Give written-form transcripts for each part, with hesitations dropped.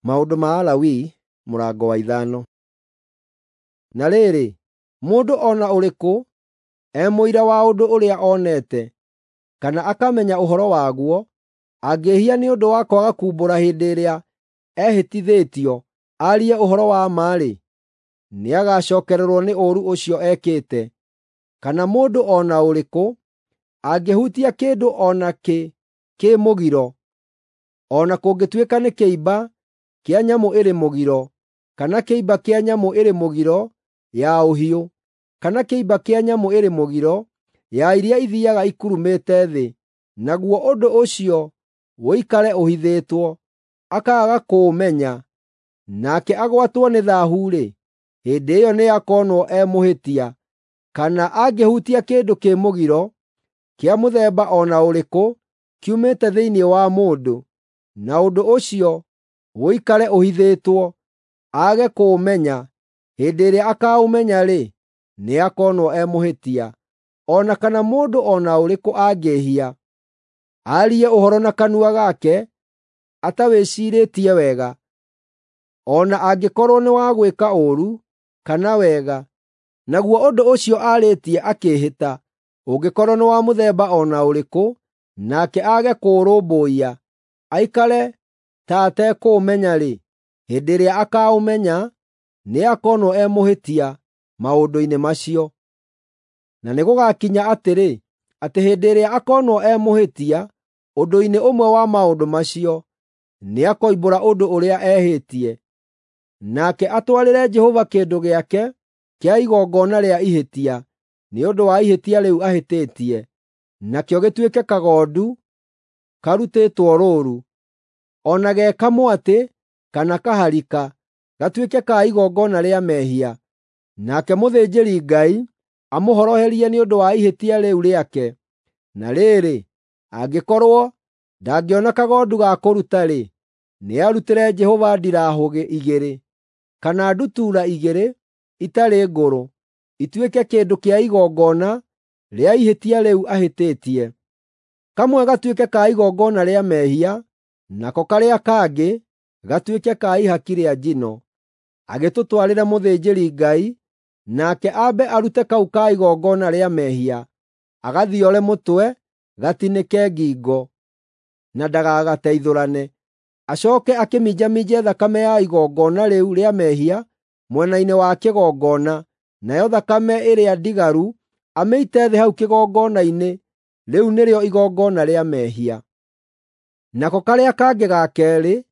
Maũndũ ma Alawii mũrango wa 5. Na rĩrĩ, mũndũ o na ũrĩkũ e mũira wa ũndũ ũrĩa onete, kana akamenya ũhoro waguo, angĩĩhia nĩ ũndũ wa kwaga kuumbũra hĩndĩ ĩrĩa ehĩtithĩtio aarie ũhoro wa ma-rĩ, nĩagacookererwo nĩ ũũru ũcio ekĩte. Kana mũndũ o na ũrĩkũ angĩhutia kĩndũ o nakĩ kĩ mũgiro, o na kũngĩtuĩka nĩ kĩimba kĩa nyamũ ĩrĩ mũgiro, kana kĩimba kĩa nyamũ ĩrĩ mũgiro ya ũhiũ, kana kĩimba kĩa nyamũ ĩrĩ mũgiro ya iria ithiiaga ikurumĩte thĩ, naguo ũndũ ũcio ũikare ũhithĩtwo, akaaga kũũmenya, nake agwatwo nĩ thaahu-rĩ, hĩndĩ ĩyo nĩakonwo e mũhĩtia. Kana angĩhutia kĩndũ kĩ mũgiro kĩa mũthemba o na ũrĩkũ kiumĩte thĩinĩ wa mũndũ, na ũndũ ũcio ũikare ũhithĩtwo, aage kũũmenya, hĩndĩ ĩrĩa akaũmenya-rĩ, nĩakonwo e mũhĩtia. O na kana mũndũ o na ũrĩkũ angĩĩhia, aarie ũhoro na kanua gake atawĩciirĩtie wega, o na angĩkorwo nĩ wa gwĩka ũũru kana wega, naguo ũndũ ũcio aarĩtie akĩĩhĩta, ũngĩkorwo nĩ wa mũthemba o na ũrĩkũ, nake aage kũũrũmbũiya, aikare ta atekũũmenya-rĩ, hĩndĩ ĩrĩa akaũmenya, nĩakonwo e mũhĩtia maũndũ-inĩ macio. Na nĩgũgakinya atĩrĩ, atĩ hĩndĩ ĩrĩa akonwo e mũhĩtia ũndũ-inĩ ũmwe wa maũndũ macio, nĩakoimbũra ũndũ ũrĩa ehĩtie, nake atwarĩre Jehova kĩndũ gĩake kĩa igongona rĩa ihĩtia nĩ ũndũ wa ihĩtia rĩu ahĩtĩtie, nakĩo gĩtuĩke kagondu karutĩtwo rũũru, o na ge kamwatĩ kana kaharika, gatuĩke ka igongona rĩa mehia. Nake mũthĩnjĩri-Ngai amũhoroherie nĩ ũndũ wa ihĩtia rĩu rĩake. Na rĩrĩ, angĩkorwo ndangĩona kagondu ga kũruta-rĩ, nĩarutĩre Jehova ndirahũgĩ igĩrĩ kana ndutura igĩrĩ itarĩ ngũrũ, ituĩke kĩndũ kĩa igongona rĩa ihĩtia rĩu ahĩtĩtie. Kamwe gatuĩke ka igongona rĩa mehia, nako karĩa kangĩ gatuĩke ka ihaki rĩa njino. Agĩtũtwarĩre mũthĩnjĩri-Ngai, nake ambe arute kau ka igongona rĩa mehia, agathiore mũtwe, gatinĩke ngingo, na ndagagateithũrane. Acooke akĩminjaminje thakame ya igongona rĩu rĩa mehia mwena-inĩ wa kĩgongona, nayo thakame ĩrĩa ndigaru amĩite thĩ hau kĩgongona-inĩ. Rĩu nĩrĩo igongona rĩa mehia. Nako karĩa kangĩ ga keerĩ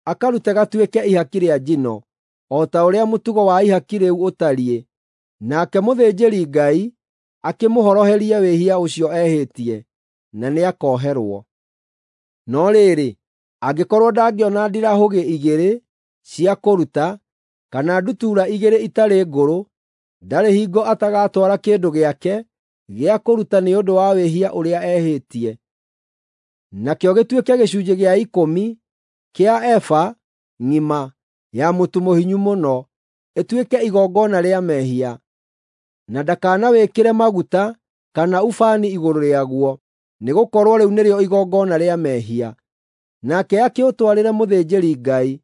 akarute gatuĩke ihaki rĩa njino, o ta ũrĩa mũtugo wa ihaki rĩu ũtariĩ. Nake mũthĩnjĩri-Ngai akĩmũhoroherie wĩhia ũcio ehĩtie, na nĩakoherwo. No rĩrĩ, angĩkorwo ndangĩona ndirahũgĩ igĩrĩ cia kũruta, kana ndutura igĩrĩ itarĩ ngũrũ, ndarĩ hingo atagatwara kĩndũ gĩake gĩa kũruta nĩ ũndũ wa wĩhia ũrĩa ehĩtie. Nakĩo gĩtuĩke gĩcunjĩ gĩa ikũmi kĩa eba ng'ima ya mũtu mũhinyu mũno, ĩtuĩke igongona rĩa mehia. Na ndakanawĩkĩre maguta kana ubani igũrũ rĩaguo, nĩgũkorwo rĩu nĩrĩo igongona rĩa mehia. Nake akĩũtwarĩre mũthĩnjĩri-Ngai,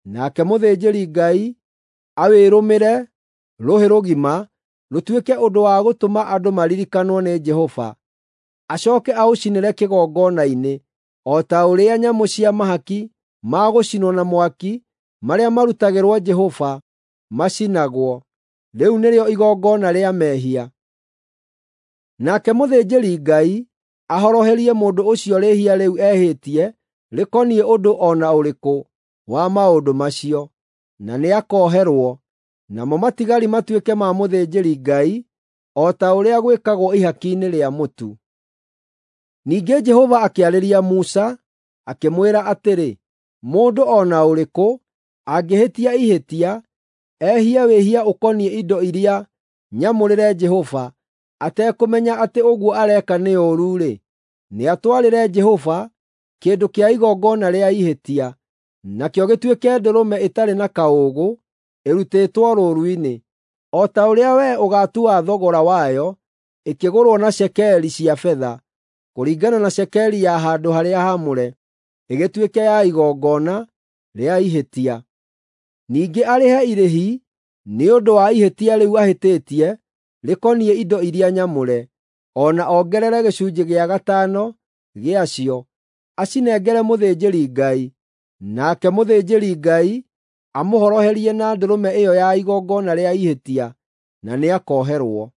nake mũthĩnjĩri-Ngai awĩrũmĩre rũhĩ rũgima rũtuĩke ũndũ wa gũtũma andũ maririkanwo nĩ Jehova. Acooke aũcinĩre kĩgongona-inĩ, o ta ũrĩa nyamũ cia mahaki ma gũcinwo na mwaki marĩa marutagĩrwo Jehova macinagwo. Rĩu nĩrĩo igongona rĩa mehia. Nake mũthĩnjĩri-Ngai ahoroherie mũndũ ũcio rĩĩhia rĩu ehĩtie rĩkoniĩ ũndũ o na ũrĩkũ wa maũndũ macio, na nĩakoherwo, namo matigari matuĩke ma mũthĩnjĩri-Ngai o ta ũrĩa gwĩkagwo ihaki-inĩ rĩa mũtu. Ningĩ Jehova akĩarĩria Musa, akĩmwĩra atĩrĩ, mũndũ o na ũrĩkũ angĩhĩtia ihĩtia, ehie wĩhia ũkoniĩ indo iria nyamũrĩre Jehova, atekũmenya atĩ ũguo areka nĩ ũũru-rĩ, nĩatwarĩre Jehova kĩndũ kĩa igongona rĩa ihĩtia, nakĩo gĩtuĩke ndũrũme ĩtarĩ na kaũũgũ ĩrutĩtwo rũũru-inĩ, o ta ũrĩa wee ũgaatua thogora wayo, ĩkĩgũrwo na cekeri cia betha, kũringana na cekeri ya handũ-harĩa-haamũre, ĩgĩtuĩke ya igongona. rĩa ihĩtia. Ningĩ arĩhe irĩhi nĩ ũndũ wa ihĩtia rĩu ahĩtĩtie rĩkoniĩ indo iria nyamũre, o na ongerere gĩcunjĩ gĩa gatano gĩacio, acinengere mũthĩnjĩri-Ngai, nake mũthĩnjĩri-Ngai amũhoroherie na ndũrũme ĩyo ya igongona rĩa ihĩtia, na nĩakoherwo.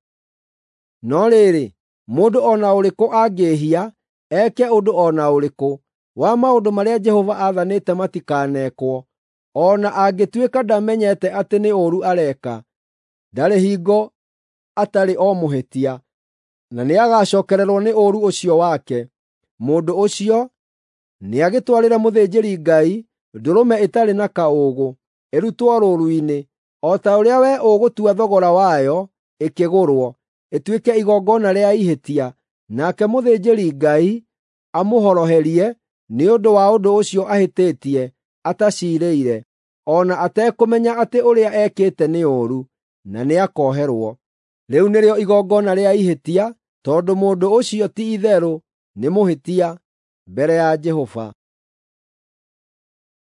No rĩrĩ, mũndũ o na ũrĩkũ angĩĩhia, eke ũndũ o na ũrĩkũ wa maũndũ marĩa Jehova aathanĩte matikanekwo, o na angĩtuĩka ndamenyete atĩ nĩ ũũru areka, ndarĩ hingo atarĩ o mũhĩtia, na nĩagacookererwo nĩ ũũru ũcio wake. Mũndũ ũcio nĩagĩtwarĩre mũthĩnjĩri-Ngai ndũrũme ĩtarĩ na kaũũgũ, ĩrutwo rũũru-inĩ, o ta ũrĩa wee ũgũtua thogora wayo ĩkĩgũrwo, ĩtuĩke igongona rĩa ihĩtia, nake mũthĩnjĩri-Ngai amũhoroherie nĩ ũndũ wa ũndũ ũcio ahĩtĩtie ataciirĩire, o na atekũmenya atĩ ũrĩa ekĩte nĩ ũũru, na nĩakoherwo. Rĩu nĩrĩo igongona rĩa ihĩtia, tondũ mũndũ ũcio ti-itherũ nĩ mũhĩtia mbere ya Jehova.